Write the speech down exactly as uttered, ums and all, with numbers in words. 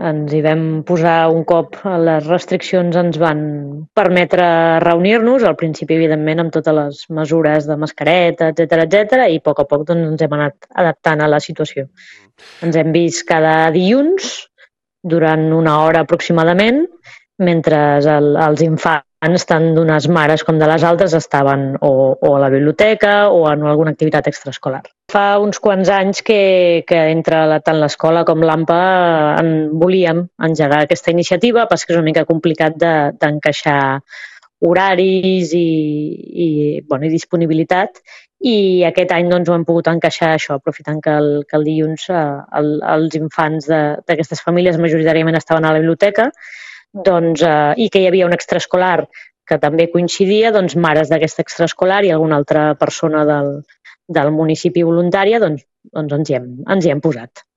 ens hi vam posar un cop les restriccions ens van permetre reunir-nos, al principi, evidentment, amb totes les mesures de mascareta, etcètera, etcètera, i a poc a poc doncs, ens hem anat adaptant a la situació. Ens hem vist cada dilluns durant una hora aproximadament, mentre el, els infants, tant d'unes mares com de les altres, estaven o, o a la biblioteca o en alguna activitat extraescolar. Fa uns quants anys que, que entre la, tant l'escola com l'AMPA en volíem engegar aquesta iniciativa, però que és una mica complicat d'encaixar de, horaris i, i, bueno, i disponibilitat, i aquest any doncs, ho hem pogut encaixar això, aprofitant que el, que el dilluns eh, el, els infants d'aquestes famílies majoritàriament estaven a la biblioteca, doncs, eh, i que hi havia un extraescolar que també coincidia, doncs mares d'aquest extraescolar i alguna altra persona del, del municipi voluntària, doncs, doncs ens, hi hem, ens hi hem posat.